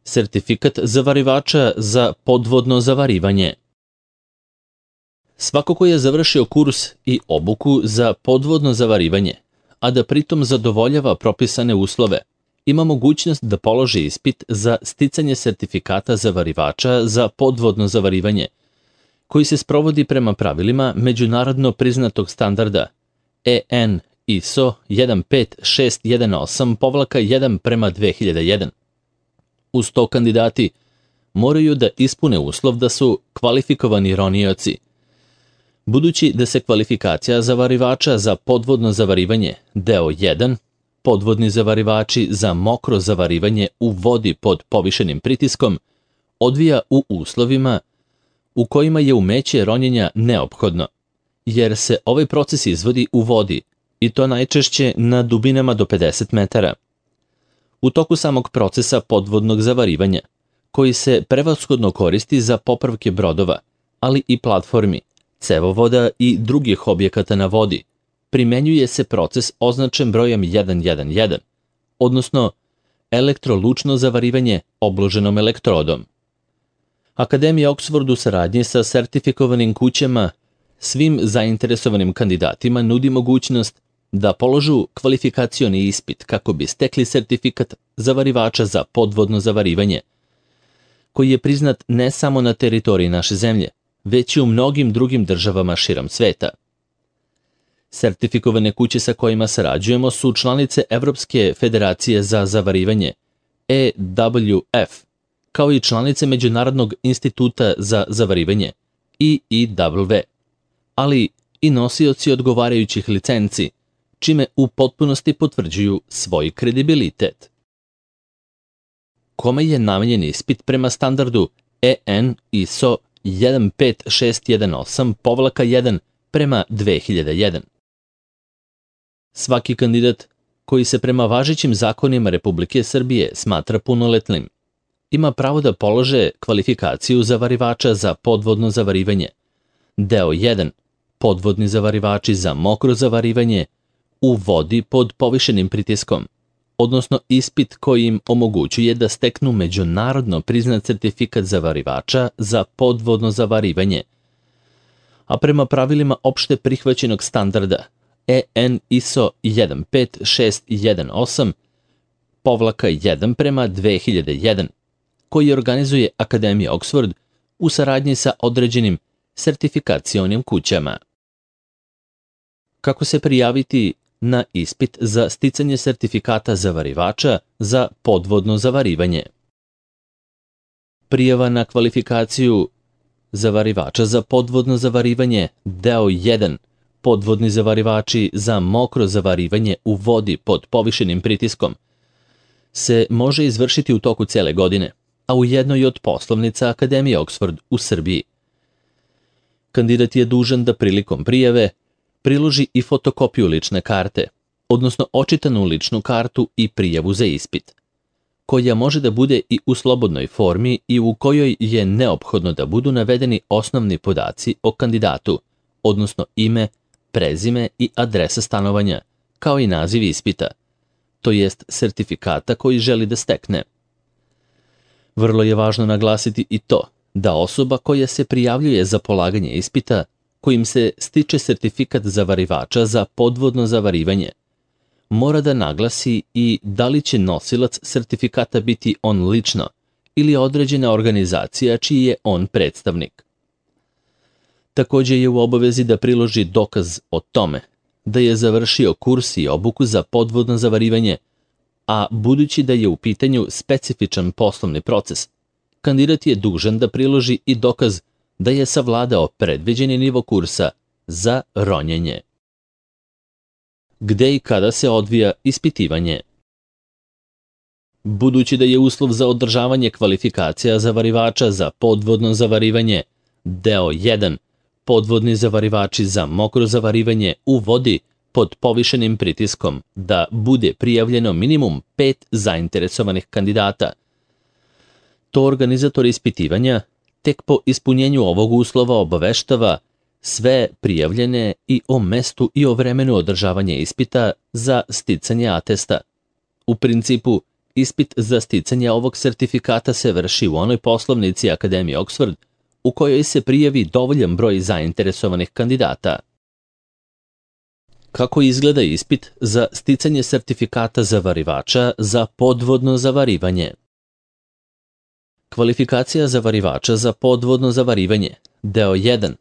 Sertifikat zavarivača za podvodno zavarivanje. Svako ko je završio kurs i obuku za podvodno zavarivanje, a da pritom zadovoljava propisane uslove, ima mogućnost da položi ispit za sticanje sertifikata zavarivača za podvodno zavarivanje, koji se sprovodi prema pravilima međunarodno priznatog standarda EN ISO 15618-1/2001. Uz to kandidati moraju da ispune uslov da su kvalifikovani ronioci. Budući da se kvalifikacija zavarivača za podvodno zavarivanje, deo 1, podvodni zavarivači za mokro zavarivanje u vodi pod povišenim pritiskom, odvija u uslovima u kojima je umeće ronjenja neophodno, jer se ovaj proces izvodi u vodi, i to najčešće na dubinama do 50 metara. U toku samog procesa podvodnog zavarivanja, koji se prevashodno koristi za popravke brodova, ali i platformi, cevovoda i drugih objekata na vodi, primenjuje se proces označen brojem 111, odnosno elektrolučno zavarivanje obloženom elektrodom. Akademija Oxford u saradnji sa sertifikovanim kućama svim zainteresovanim kandidatima nudi mogućnost da položu kvalifikacioni ispit kako bi stekli sertifikat zavarivača za podvodno zavarivanje, koji je priznat ne samo na teritoriji naše zemlje, već i u mnogim drugim državama širom sveta. Sertifikovane kuće sa kojima sarađujemo su članice Evropske federacije za zavarivanje, EWF, kao i članice Međunarodnog instituta za zavarivanje, IIW, ali i nosioci odgovarajućih licenci, čime u potpunosti potvrđuju svoj kredibilitet. Kome je namenjen ispit prema standardu EN ISO 15618-1/2001? Svaki kandidat koji se prema važećim zakonima Republike Srbije smatra punoletnim ima pravo da polože kvalifikaciju zavarivača za podvodno zavarivanje, deo 1, podvodni zavarivači za mokro zavarivanje u vodi pod povišenim pritiskom, odnosno ispit koji im omogućuje da steknu međunarodno priznat sertifikat zavarivača za podvodno zavarivanje, a prema pravilima opšte prihvaćenog standarda EN ISO 15618-1/2001, koji organizuje Akademija Oxford u saradnji sa određenim sertifikacionim kućama. Kako se prijaviti na ispit za sticanje sertifikata zavarivača za podvodno zavarivanje? Prijava na kvalifikaciju zavarivača za podvodno zavarivanje, deo 1, podvodni zavarivači za mokro zavarivanje u vodi pod povišenim pritiskom, se može izvršiti u toku cele godine, a u jednoj od poslovnica Akademije Oxford u Srbiji. Kandidat je dužan da prilikom prijave priloži i fotokopiju lične karte, odnosno očitanu ličnu kartu i prijavu za ispit, koja može da bude i u slobodnoj formi i u kojoj je neophodno da budu navedeni osnovni podaci o kandidatu, odnosno ime, prezime i adresa stanovanja, kao i naziv ispita, to jest sertifikata koji želi da stekne. Vrlo je važno naglasiti i to da osoba koja se prijavljuje za polaganje ispita, kojim se stiče sertifikat zavarivača za podvodno zavarivanje, mora da naglasi i da li će nosilac sertifikata biti on lično ili određena organizacija čiji je on predstavnik. Takođe je u obavezi da priloži dokaz o tome da je završio kurs i obuku za podvodno zavarivanje, a budući da je u pitanju specifičan poslovni proces, kandidat je dužan da priloži i dokaz da je savladao predviđeni nivo kursa za ronjenje. Gde i kada se odvija ispitivanje? Budući da je uslov za održavanje kvalifikacija zavarivača za podvodno zavarivanje, deo 1, podvodni zavarivači za mokro zavarivanje u vodi pod povišenim pritiskom, da bude prijavljeno minimum 5 zainteresovanih kandidata. To organizator ispitivanja tek po ispunjenju ovog uslova obaveštava sve prijavljene i o mestu i o vremenu održavanja ispita za sticanje atesta. U principu, ispit za sticanje ovog sertifikata se vrši u onoj poslovnici Akademije Oxford u kojoj se prijavi dovoljan broj zainteresovanih kandidata. Kako izgleda ispit za sticanje sertifikata zavarivača za podvodno zavarivanje? Kvalifikacija zavarivača za podvodno zavarivanje. Deo 1.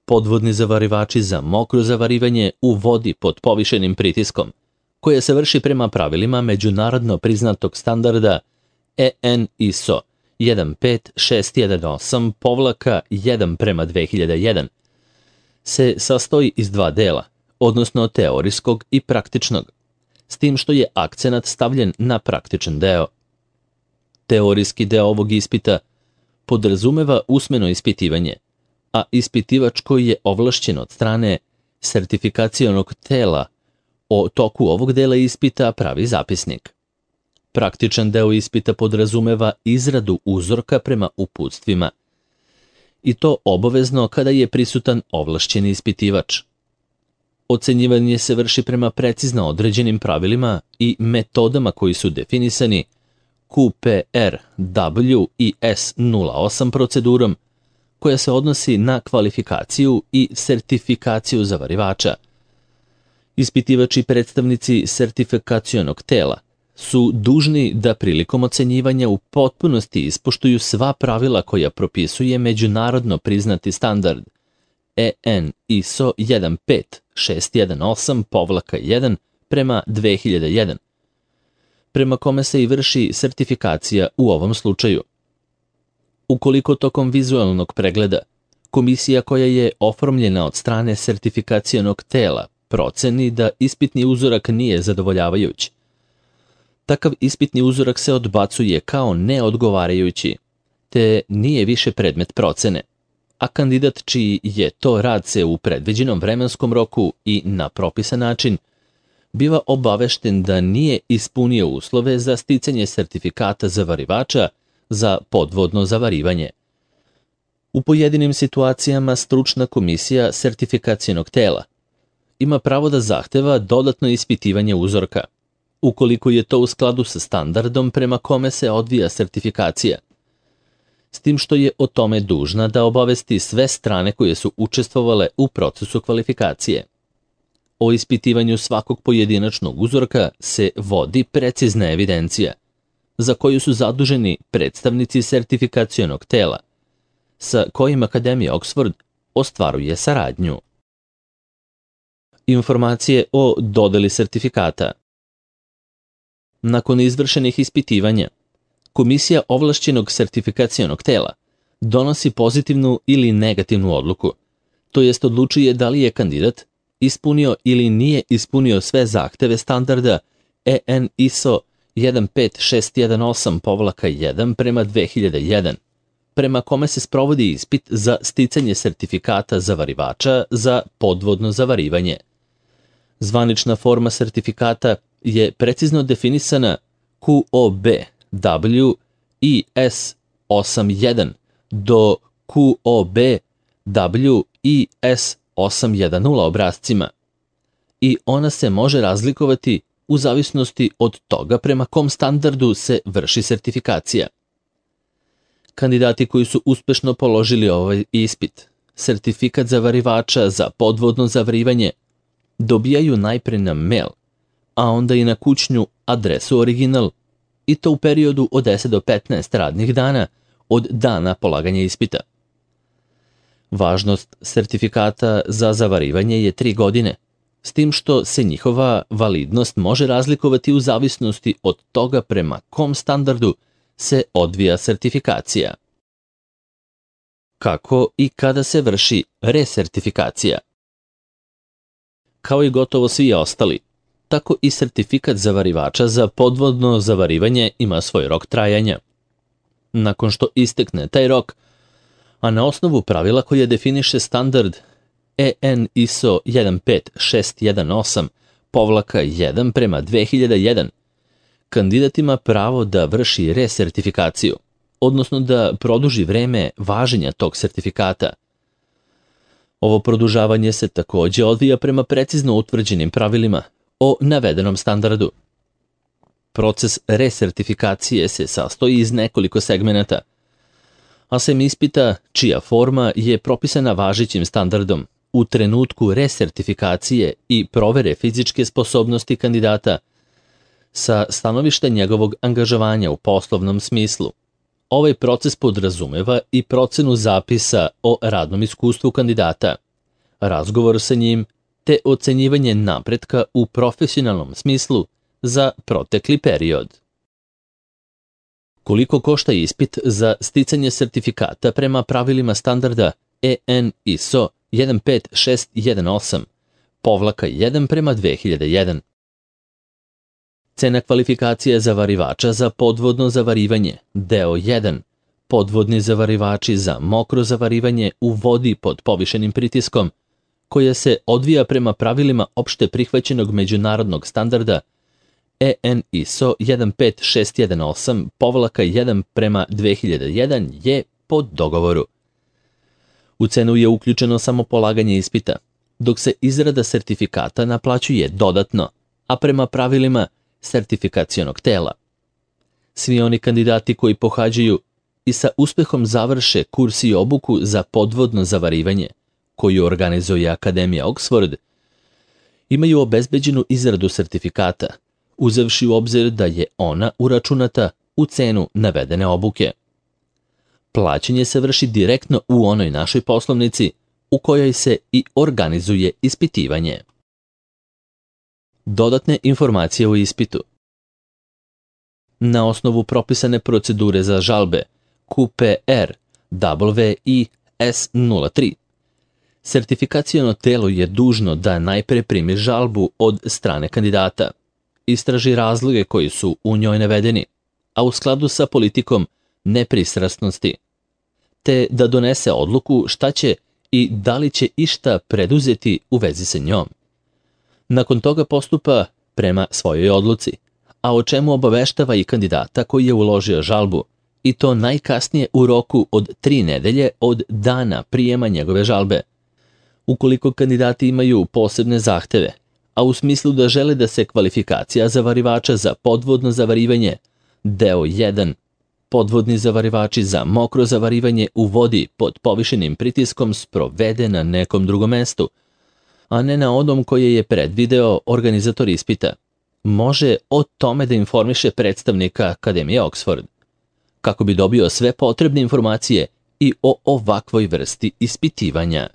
Podvodni zavarivači za mokro zavarivanje u vodi pod povišenim pritiskom, koje se vrši prema pravilima međunarodno priznatog standarda EN ISO 15618-1/2001, se sastoji iz dva dela, odnosno teorijskog i praktičnog, s tim što je akcenat stavljen na praktičan deo. Teorijski deo ovog ispita podrazumeva usmeno ispitivanje, a ispitivač koji je ovlašćen od strane sertifikacionog tela o toku ovog dela ispita pravi zapisnik. Praktičan deo ispita podrazumeva izradu uzorka prema uputstvima, i to obavezno kada je prisutan ovlašćeni ispitivač. Ocenjivanje se vrši prema precizno određenim pravilima i metodama koji su definisani QPR WIS 08 procedurom, koja se odnosi na kvalifikaciju i sertifikaciju zavarivača. Ispitivači i predstavnici sertifikacionog tela su dužni da prilikom ocenjivanja u potpunosti ispoštuju sva pravila koja propisuje međunarodno priznati standard EN ISO 15618-1/2001, prema kome se i vrši sertifikacija u ovom slučaju. Ukoliko tokom vizualnog pregleda komisija koja je oformljena od strane sertifikacionog tela proceni da ispitni uzorak nije zadovoljavajući, takav ispitni uzorak se odbacuje kao neodgovarajući, te nije više predmet procene, a kandidat čiji je to rad se u predviđenom vremenskom roku i na propisan način biva obavešten da nije ispunio uslove za sticanje sertifikata zavarivača za podvodno zavarivanje. U pojedinim situacijama stručna komisija sertifikacionog tela ima pravo da zahteva dodatno ispitivanje uzorka, ukoliko je to u skladu sa standardom prema kome se odvija sertifikacija, s tim što je o tome dužna da obavesti sve strane koje su učestvovale u procesu kvalifikacije. O ispitivanju svakog pojedinačnog uzorka se vodi precizna evidencija, za koju su zaduženi predstavnici sertifikacionog tela, sa kojim Akademija Oxford ostvaruje saradnju. Informacije o dodeli sertifikata. Nakon izvršenih ispitivanja, komisija ovlašćenog sertifikacionog tela donosi pozitivnu ili negativnu odluku, to jest odlučuje da li je kandidat ispunio ili nije ispunio sve zahteve standarda EN ISO 15618-1/2001, prema kome se sprovodi ispit za sticanje sertifikata zavarivača za podvodno zavarivanje. Zvanična forma sertifikata je precizno definisana QOB WIS 81 do QOB WIS 810 obrascima i ona se može razlikovati u zavisnosti od toga prema kom standardu se vrši sertifikacija. Kandidati koji su uspešno položili ovaj ispit, sertifikat zavarivača za podvodno zavarivanje, dobijaju najpre na mail, a onda i na kućnu adresu original, i to u periodu od 10 do 15 radnih dana od dana polaganja ispita. Važnost sertifikata za zavarivanje je 3 godine, s tim što se njihova validnost može razlikovati u zavisnosti od toga prema kom standardu se odvija sertifikacija. Kako i kada se vrši resertifikacija? Kao i gotovo svi ostali, tako i sertifikat zavarivača za podvodno zavarivanje ima svoj rok trajanja. Nakon što istekne taj rok, a na osnovu pravila koje definiše standard EN ISO 15618-1/2001, kandidat ima pravo da vrši resertifikaciju, odnosno da produži vreme važenja tog sertifikata. Ovo produžavanje se takođe odvija prema precizno utvrđenim pravilima o navedenom standardu. proces resertifikacije se sastoji iz nekoliko segmenata, a sem ispita čija forma je propisana važećim standardom u trenutku resertifikacije i provere fizičke sposobnosti kandidata sa stanovišta njegovog angažovanja u poslovnom smislu. Ovaj proces podrazumeva i procenu zapisa o radnom iskustvu kandidata, razgovor sa njim te ocenjivanje napretka u profesionalnom smislu za protekli period. Koliko košta ispit za sticanje sertifikata prema pravilima standarda EN ISO 15618-1/2001? Cena kvalifikacije zavarivača za podvodno zavarivanje, deo 1, podvodni zavarivači za mokro zavarivanje u vodi pod povišenim pritiskom, koja se odvija prema pravilima opšte prihvaćenog međunarodnog standarda EN ISO 15618-1/2001 je po dogovoru. U cenu je uključeno samo polaganje ispita, dok se izrada sertifikata naplaćuje dodatno, a prema pravilima sertifikacionog tela. Svi oni kandidati koji pohađaju i sa uspehom završe kurs i obuku za podvodno zavarivanje, koju organizuje Akademija Oxford, imaju obezbeđenu izradu sertifikata, uzevši u obzir da je ona uračunata u cenu navedene obuke. Plaćanje se vrši direktno u onoj našoj poslovnici u kojoj se i organizuje ispitivanje. Dodatne informacije o ispitu. Na osnovu propisane procedure za žalbe QPR WIS03, sertifikaciono telo je dužno da najpre primi žalbu od strane kandidata, istraži razloge koji su u njoj navedeni, a u skladu sa politikom nepristrasnosti, te da donese odluku šta će i da li će išta preduzeti u vezi sa njom. Nakon toga postupa prema svojoj odluci, a o čemu obaveštava i kandidata koji je uložio žalbu, i to najkasnije u roku od 3 nedelje od dana prijema njegove žalbe. Ukoliko kandidati imaju posebne zahteve, a u smislu da žele da se kvalifikacija zavarivača za podvodno zavarivanje, deo 1, podvodni zavarivači za mokro zavarivanje u vodi pod povišenim pritiskom sprovede na nekom drugom mestu, a ne na onom koje je predvideo organizator ispita, može o tome da informiše predstavnika Akademije Oxford, kako bi dobio sve potrebne informacije i o ovakvoj vrsti ispitivanja.